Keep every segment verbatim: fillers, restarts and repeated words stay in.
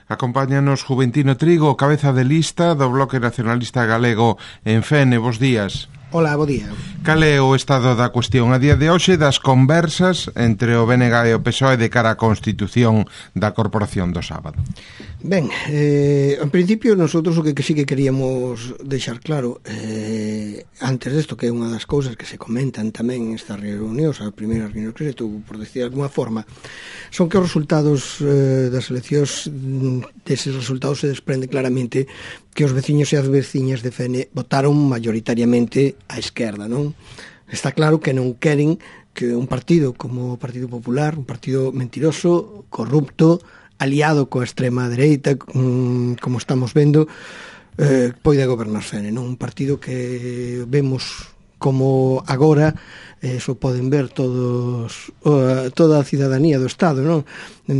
Acompáñanos Juventino Trigo, cabeza de lista do Bloque Nacionalista Galego en Fene. Bos días. Hola, bo día. Cal é o estado da cuestión a día de hoxe das conversas entre o B N G e o P S O E de cara á constitución da Corporación do sábado? Ben, eh, en principio nosotros o que, que sí que queríamos deixar claro eh, antes desto, que é unha das cousas que se comentan tamén en estas reunións, a primeira reunión que se tuvo, por decir de alguna forma, son que os resultados eh, das eleccións, deses resultados se desprende claramente que os veciños e as veciñas de Fene votaron mayoritariamente á esquerda, non? Está claro que non queren que un partido como o Partido Popular, un partido mentiroso, corrupto, aliado coa extrema dereita, como estamos vendo, eh, poida gobernar Fene, non? Un partido que vemos como agora, eso poden ver todos, toda a cidadanía do Estado, non?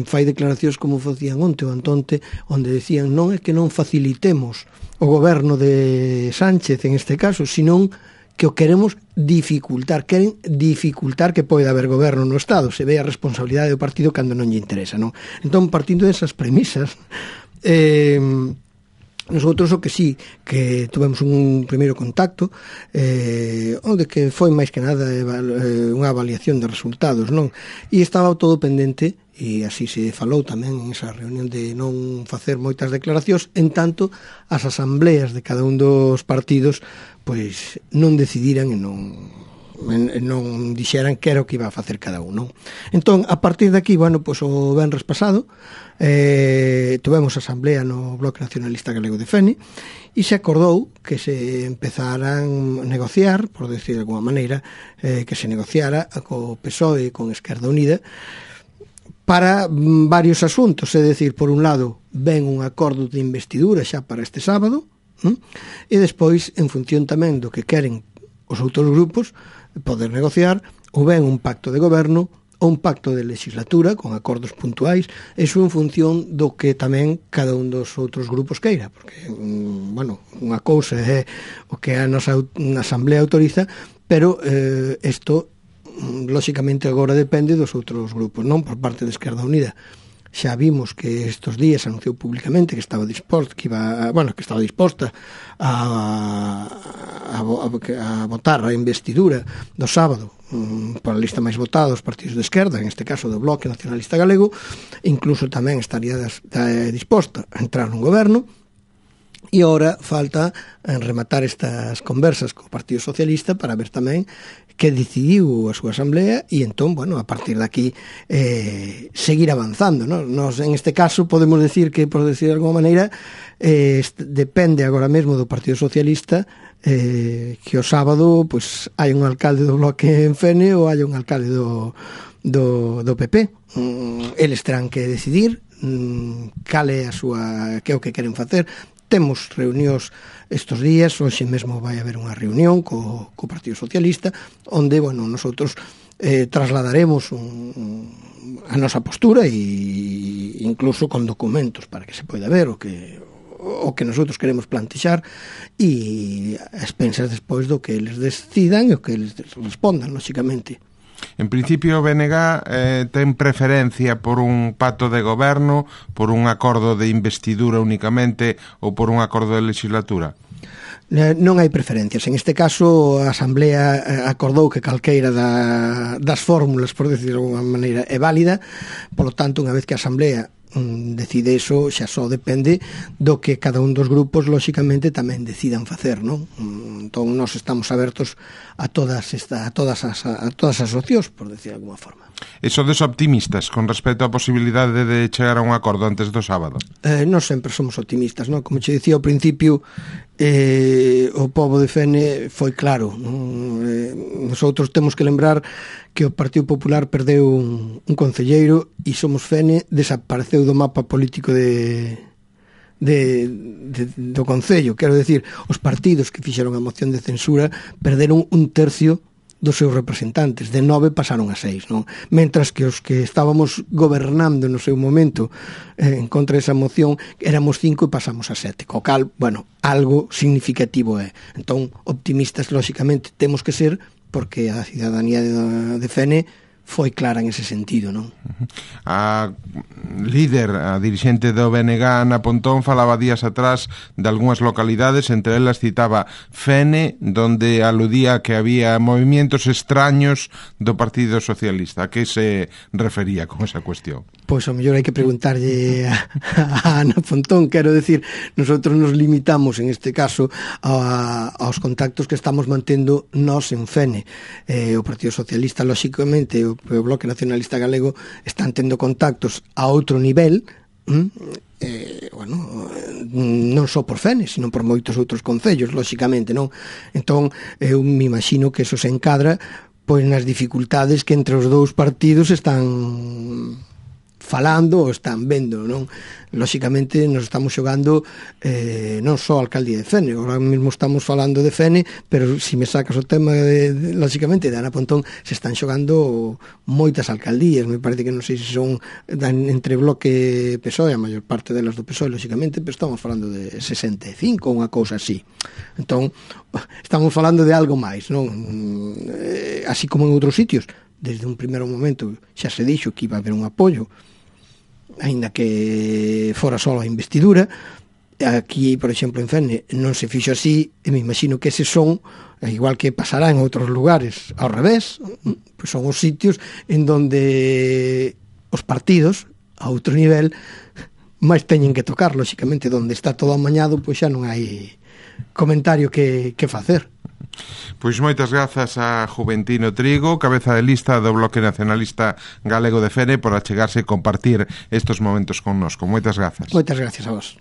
Fai declaracións como facían onte ou antonte, onde decían non é que non facilitemos o goberno de Sánchez en este caso, senón que o queremos dificultar, queren dificultar que poida haber goberno no Estado, se ve a responsabilidade do partido cando non lle interesa, non? Entón, partindo desas premisas, eh, nosotros o que sí, que tuvemos un primeiro contacto, eh, onde que foi máis que nada eh, unha avaliación de resultados, non? E estaba todo pendente, e así se falou tamén en esa reunión de non facer moitas declaracións, en tanto as asambleas de cada un dos partidos pois non decidiran e non non dixeran que era o que iba a facer cada un, non? Entón, a partir de aquí, bueno, pois o venres pasado eh, tuvemos asamblea no Bloque Nacionalista Galego de Fene e se acordou que se empezaran a negociar, por decir de alguma maneira, eh, que se negociara co P S O E e con Esquerda Unida para varios asuntos, é dicir, por un lado, ven un acordo de investidura xa para este sábado, ¿no? E despois, en función tamén do que queren os outros grupos, poder negociar ou ben un pacto de goberno ou un pacto de legislatura con acordos puntuais, eso en función do que tamén cada un dos outros grupos queira, porque, bueno, unha cousa é o que a nosa asamblea autoriza, pero eh, isto, lóxicamente, agora depende dos outros grupos, non por parte de Esquerda Unida. Xa vimos que estos días anunciou públicamente que estaba disposta, que iba, bueno, que estaba disposta a, a, a, a votar a investidura do sábado um, por a lista máis votada dos partidos de esquerda, en este caso do Bloque Nacionalista Galego, incluso tamén estaría das, da, disposta a entrar nun goberno. E ora falta rematar estas conversas co Partido Socialista para ver tamén que decidiu a súa asamblea e entón, bueno, a partir de aquí eh, seguir avanzando, ¿no? Nos, en este caso, podemos decir que, por decir de alguma maneira, eh, depende agora mesmo do Partido Socialista eh, que o sábado pues, hai un alcalde do Bloque en Fene ou hai un alcalde do, do, do P P. Mm, eles terán que decidir mm, cal é a súa, que é o que queren facer. Temos reunións estes días, hoxe mesmo vai haber unha reunión co, co Partido Socialista, onde, bueno, nosotros eh, trasladaremos un, a nosa postura e incluso con documentos para que se poida ver o que o que nosotros queremos plantexar e as pensas despois do que eles decidan e o que eles respondan, lóxicamente. En principio, o B N G eh, ten preferencia por un pacto de goberno, por un acordo de investidura únicamente ou por un acordo de legislatura? Non hai preferencias. En este caso, a Asamblea acordou que calqueira da, das fórmulas, por decir de alguma maneira, é válida. Por lo tanto, unha vez que a Asamblea decide eso, xa só depende do que cada un dos grupos lóxicamente tamén decidan facer, non? Entón nós estamos abertos a todas esta, a todas as a todas as opcións, por decir de alguma forma. E sodes optimistas con respecto á posibilidade de chegar a un acordo antes do sábado? Eh, nós sempre somos optimistas, non? Como che dicía ao principio, eh, o pobo de Fene foi claro, non? Eh, nosotros temos que lembrar que o Partido Popular perdeu un, un concelleiro e Somos Fene desapareceu do mapa político de, de, de, do concello. Quero decir, os partidos que fixeron a moción de censura perderon un tercio dos seus representantes, de nove pasaron a seis, non? Mentras que os que estábamos gobernando no seu momento eh, en contra desa moción éramos cinco e pasamos a sete, co cal, bueno, algo significativo é. Entón, optimistas, lóxicamente, temos que ser, porque a cidadanía de, de Fene foi clara en ese sentido, non? A líder, a dirixente do B N G, Ana Pontón, falaba días atrás de algunhas localidades, entre elas citaba Fene, donde aludía que había movimientos extraños do Partido Socialista. A que se refería con esa cuestión? Pois ao mellor hai que preguntarlle a, a Ana Pontón. Quero decir, nosotros nos limitamos en este caso a, aos contactos que estamos mantendo nós en Fene. Eh, o Partido Socialista, lóxicamente, o, o Bloque Nacionalista Galego están tendo contactos a outro nivel, hm? eh, bueno, non só por Fene, sino por moitos outros concellos, lóxicamente, non? Entón, eu me imagino que eso se encadra pois nas dificultades que entre os dous partidos están falando ou están vendo, non? Lóxicamente nos estamos xogando eh, non só a alcaldía de Fene, ahora mesmo estamos falando de Fene, pero se si me sacas o tema de, de, lóxicamente de Ana Pontón, se están xogando moitas alcaldías, me parece que non sei se son dan, entre Bloque P S O E, a maior parte delas do P S O E, lóxicamente, pero estamos falando de sesenta e cinco ou unha cousa así. Entón, estamos falando de algo máis, non? Eh, así como en outros sitios, desde un primeiro momento xa se dixo que iba a haber un apoio, aínda que fora só a investidura. Aquí, por exemplo, en Fene non se fixo así, e me imagino que ese son, igual que pasará en outros lugares ao revés, pois son os sitios en donde os partidos a outro nivel máis teñen que tocar, lóxicamente, donde está todo amañado, pois xa non hai comentario que, que facer. Pois moitas grazas a Juventino Trigo, cabeza de lista do Bloque Nacionalista Galego de Fene, por achegarse e compartir estes momentos connosco. Moitas grazas. Moitas gracias a vos.